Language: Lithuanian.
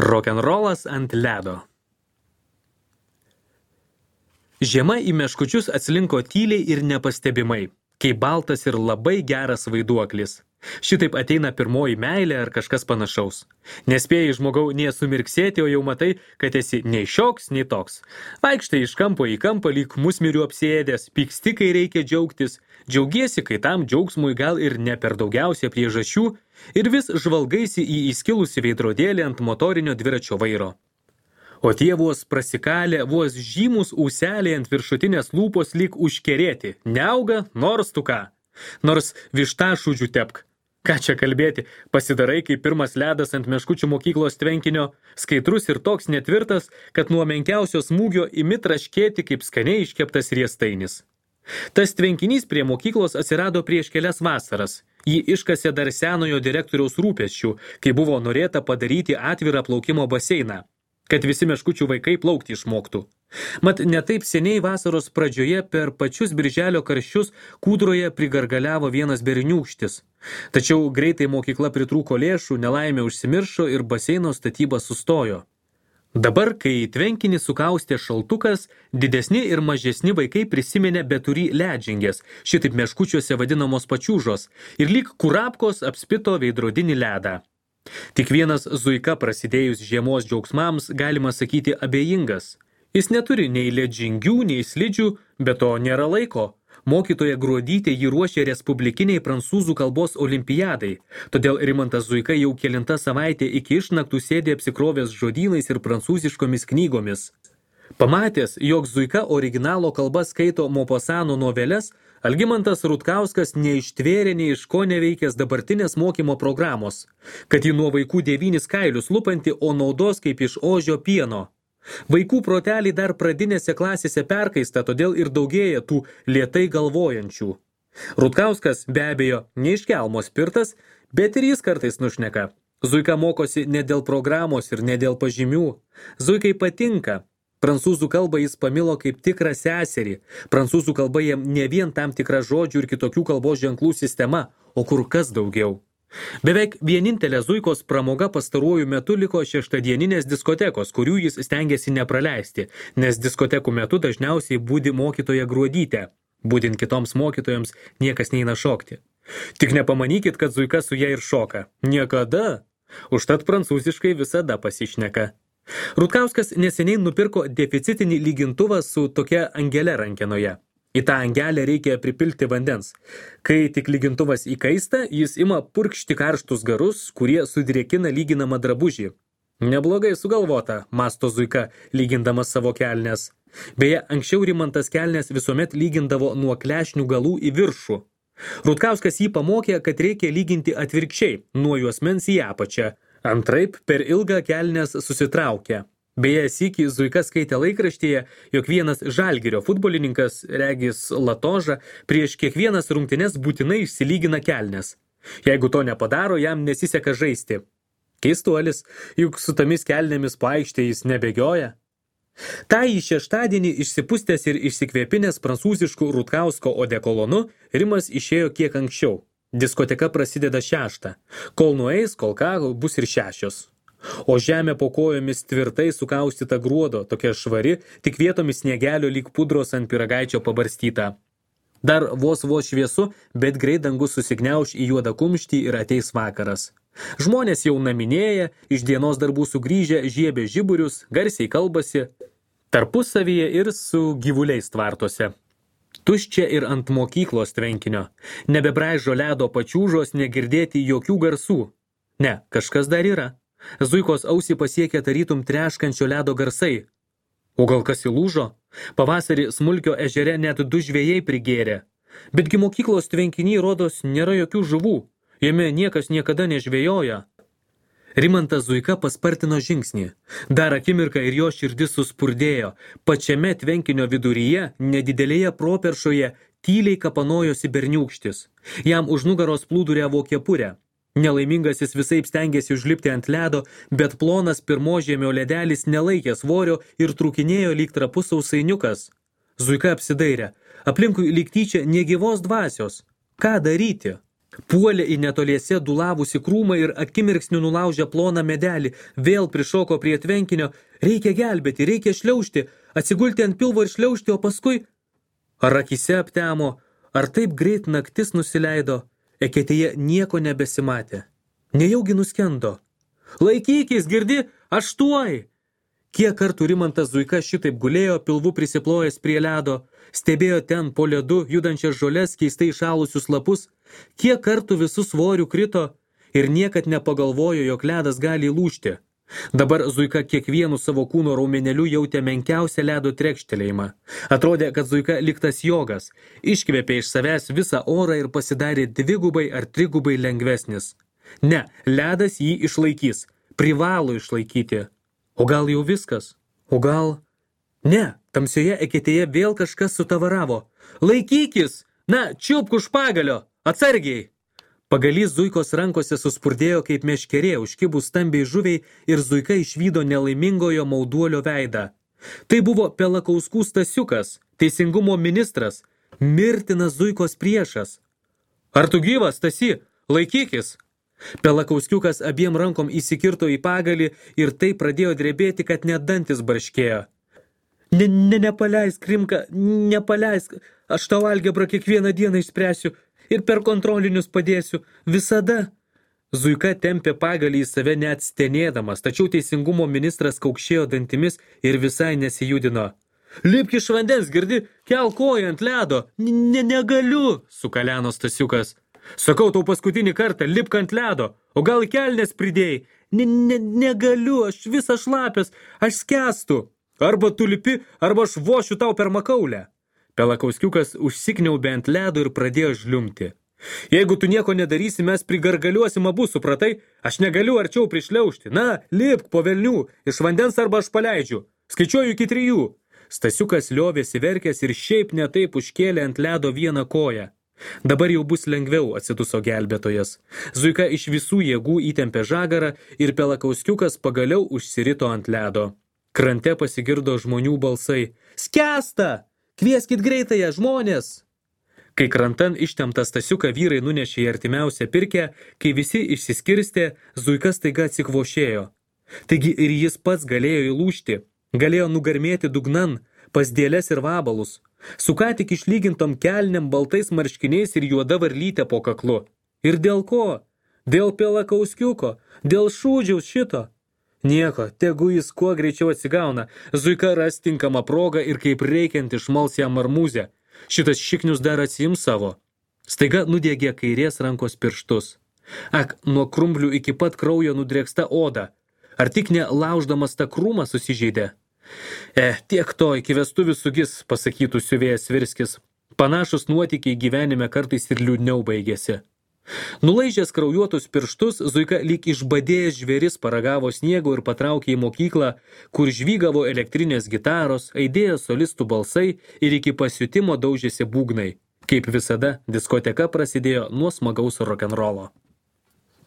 Rokenrolas ant ledo. Žiema į meškučius atslinko tyliai ir nepastebimai, kaip baltas ir labai geras vaiduoklis. Šitaip ateina pirmoji meilė ar kažkas panašaus. Nespėjai žmogau nie sumirksėti, o jau matai, kad esi nei šioks, nei toks. Vaikštai iš kampo į kampą lyg musmirių apsėdęs, pyksti, kai reikia džiaugtis, džiaugiesi, kai tam džiaugsmui gal ir ne per daugiausia priežasčių, ir vis žvalgaisi į įskilusį veidrodėlį ant motorinio dviračio vairo. O tie vos prasikalę, vos žymus ūseliai ant viršutinės lūpos lyg užkerėti, neauga nors tu ką. Nors vištašūdžių tepk. Ką čia kalbėti, pasidarai kaip pirmas ledas ant meškučių mokyklos tvenkinio, skaidrus ir toks netvirtas, kad nuo menkiausio smūgio imi traškėti kaip skaniai iškeptas riestainis. Tas tvenkinys prie mokyklos atsirado prieš kelias vasaras. Jį iškasė dar senojo direktoriaus rūpesčių, kai buvo norėta padaryti atvirą plaukimo baseiną, kad visi meškučių vaikai plaukti išmoktų. Mat netaip seniai vasaros pradžioje per pačius birželio karščius kūdroje prigargaliavo vienas berniūkštis. Tačiau greitai mokykla pritrūko lėšų, nelaimė užsimiršo ir baseino statyba sustojo. Dabar, kai tvenkinį sukaustė šaltukas, didesni ir mažesni vaikai prisiminė beturį ledžingės, šitaip meškučiuose vadinamos pačiūžos, ir lyg kurapkos apspito veidrodinį ledą. Tik vienas Zuika prasidėjus žiemos džiaugsmams, galima sakyti, abejingas. Jis neturi nei ledžingių, nei slidžių, bet to nėra laiko. Mokytoja Gruodytė jį ruošė respublikiniai prancūzų kalbos olimpiadai, todėl Rimantas Zuika jau kelinta savaitė iki išnaktų sėdė apsikrovęs žodynais ir prancūziškomis knygomis. Pamatęs, jog Zuika originalo kalba skaito Mopasano noveles, Algimantas Rutkauskas neištvėrė nei iš ko neveikęs dabartinės mokymo programos, kad ji nuo vaikų 9 kailius lupanti, o naudos kaip iš ožio pieno. Vaikų proteliai dar pradinėse klasėse perkaista, todėl ir daugėja tų lėtai galvojančių. Rutkauskas be abejo ne iš kelmo spirtas, bet ir jis kartais nušneka. Zuika mokosi ne dėl programos ir ne dėl pažymių. Zuikai patinka. Prancūzų kalbą jis pamilo kaip tikrą seserį. Prancūzų kalba jam ne vien tam tikra žodžių ir kitokių kalbos ženklų sistema, o kur kas daugiau. Beveik vienintelė Zuikos pramoga pastaruoju metu liko šeštadieninės diskotekos, kurių jis stengiasi nepraleisti, nes diskotekų metu dažniausiai budi mokytoja Gruodytė. Būdint kitoms mokytojams niekas neina šokti. Tik nepamanykit, kad Zuika su ja ir šoka. Niekada. Užtat prancūziškai visada pasišneka. Rutkauskas neseniai nupirko deficitinį lygintuvą su tokia angele rankenoje. Į tą angelę reikia pripilti vandens. Kai tik lygintuvas įkaista, jis ima purkšti karštus garus, kurie sudrėkina lyginamą drabužį. Neblogai sugalvota, mąsto Zuika, lygindamas savo kelnes. Beje, anksčiau Rimantas kelnes visuomet lygindavo nuo klešnių galų į viršų. Rutkauskas jį pamokė, kad reikia lyginti atvirkščiai, nuo juosmens į apačią. Antraip per ilgą kelnes susitraukia. Beje, sykį Zuika skaitė laikraštyje, jog vienas Žalgirio futbolininkas, regis Latoža, prieš kiekvienas rungtynes būtinai išsilygina kelnes. Jeigu to nepadaro, jam nesiseka žaisti. Keistuolis, juk su tomis kelnėmis po aikštę jis nebėgioja. Tai į šeštadienį išsipustęs ir išsikvėpinęs prancūziškų Rutkausko odekolonu, Rimas išėjo kiek anksčiau. Diskoteka prasideda 6. Kol nueis, kol ką, bus ir 6. O žemė po kojomis tvirtai sukaustyta gruodo, tokia švari, tik vietomis sniegelio lyg pudros ant pyragaičio pabarstyta. Dar vos šviesu, bet greit dangus susigniauš į juodą kumštį ir ateis vakaras. Žmonės jau naminėja, iš dienos darbų sugrįžę žiebė žiburius, garsiai kalbasi, tarpusavyje ir su gyvuliais tvartose. Tuščia ir ant mokyklos tvenkinio. Nebebraižo ledo pačiūžos, negirdėti jokių garsų. Ne, kažkas dar yra. Zuikos ausį pasiekė tarytum treškančio ledo garsai. O gal kas įlūžo? Pavasarį Smulkio ežere net 2 žvejai prigėrė. Betgi mokyklos tvenkiny rodos nėra jokių žuvų. Jame niekas niekada nežvejoja. Rimantas Zuika paspartino žingsnį. Dar akimirką ir jo širdis suspurdėjo. Pačiame tvenkinio viduryje, nedidelėje properšoje, tyliai kapanojosi berniūkštis. Jam už nugaros plūduriavo kepurę. Nelaimingasis visaip stengėsi užlipti ant ledo, bet plonas pirmožiemio ledelis nelaikė svorio ir trūkinėjo lyg trapus sausainiukas. Zuika apsidairė. Aplinkui lyg tyčia negyvos dvasios. Ką daryti? Puolė į netoliese dulavusi krūmą ir akimirksniu nulaužė ploną medelį, vėl prišoko prie tvenkinio, reikia gelbėti, reikia šliaužti, atsigulti ant pilvo ir šliaužti, o paskui... Ar akise aptemo, ar taip greit naktis nusileido, eketėje nieko nebesimatė. Nejaugi nuskendo. Laikykis, girdi, aš tuoj! Kiek kartų Rimantas Zuika šitaip gulėjo, pilvu prisiplojęs prie ledo, stebėjo ten po ledu judančias žoles, keistai šalusius lapus, kiek kartų visų svorių krito ir niekad nepagalvojo, jog ledas gali įlūžti. Dabar Zuika kiekvienu savo kūno raumeneliu jautė menkiausią ledo trekštelėjimą. Atrodė, kad Zuika liktas jogas, iškvėpė iš savęs visą orą ir pasidarė dvigubai ar trigubai lengvesnis. Ne, ledas jį išlaikys, privalo išlaikyti. O gal jau viskas? O gal... Ne, tamsioje eketėje vėl kažkas sutavaravo. Laikykis! Na, čiupk už pagalio! Atsargiai! Pagalys Zuikos rankose suspurdėjo kaip meškerė, užkibus stambiai žuviai ir Zuika išvydo nelaimingojo mauduolio veidą. Tai buvo Pelakauskų Stasiukas, teisingumo ministras, mirtinas Zuikos priešas. Ar tu gyvas, Stasi? Laikykis! Pelakauskiukas abiem rankom įsikirto į pagalį ir tai pradėjo drebėti, kad net dantis barškėjo. Nepaleisk, Rimka, nepaleisk. Aš tau algebrą kiekvieną dieną išspręsiu ir per kontrolinius padėsiu. Visada. Zuika tempė pagalį į save net stenėdamas, tačiau teisingumo ministras kaukšėjo dantimis ir visai nesijudino. Lipk iš vandens, girdi, kel koją ant ledo. Negaliu, sukaleno Stasiukas. Sakau tau paskutinį kartą, lipk ant ledo, o gal į kelnes pridėjai? Negaliu, aš visas šlapės, aš skęstu. Arba tu lipi, arba aš vošiu tau per makaulę. Pelakauskiukas užsikniaubė ant ledo ir pradėjo žliumti. Jeigu tu nieko nedarysi, mes prigargaliuosim abu, supratai? Aš negaliu arčiau prišliaužti. Na, lipk po velnių, iš vandens arba aš paleidžiu. Skaičiuoju iki 3. Stasiukas liovėsi verkęs ir šiaip ne taip užkėlė ant ledo vieną koją. Dabar jau bus lengviau, atsiduso gelbėtojas. Zuika iš visų jėgų įtempė žagarą ir Pelakauskiukas pagaliau užsirito ant ledo. Krante pasigirdo žmonių balsai. Skęsta! Kvieskit greitąją, žmonės! Kai krantan ištemptą Stasiuką vyrai nunešė į artimiausią pirkę, kai visi išsiskirstė, Zuika staiga atsikvošėjo. Taigi ir jis pats galėjo įlūžti, galėjo nugarmėti dugnan, pas dėles ir vabalus. Su ką tik išlygintom kelnėm, baltais marškiniais ir juoda varlytė po kaklu. Ir dėl ko? Dėl Pelakauskiuko, dėl šūdžiaus šito. Nieko, tegu jis kuo greičiau atsigauna. Zuika ras tinkamą progą ir kaip reikiant išmals jam marmūzę. Šitas šiknius dar atsiims savo. Staiga nudegė kairės rankos pirštus. Ak, nuo krumblių iki pat kraujo nudrėksta oda. Ar tik ne lauždamas tą krūmą susižeidė? Tiek to iki vestuvių sugis, pasakytų siuvėjas Svirskis. Panašus nuotykiai gyvenime kartais ir liūdniau baigėsi. Nulaižęs kraujuotus pirštus, Zuika lyg išbadėjęs žvėris paragavo sniego ir patraukė į mokyklą, kur žvygavo elektrinės gitaros, aidėjo solistų balsai ir iki pasiutimo daužėsi būgnai. Kaip visada, diskoteka prasidėjo nuo smagaus rokenrolo.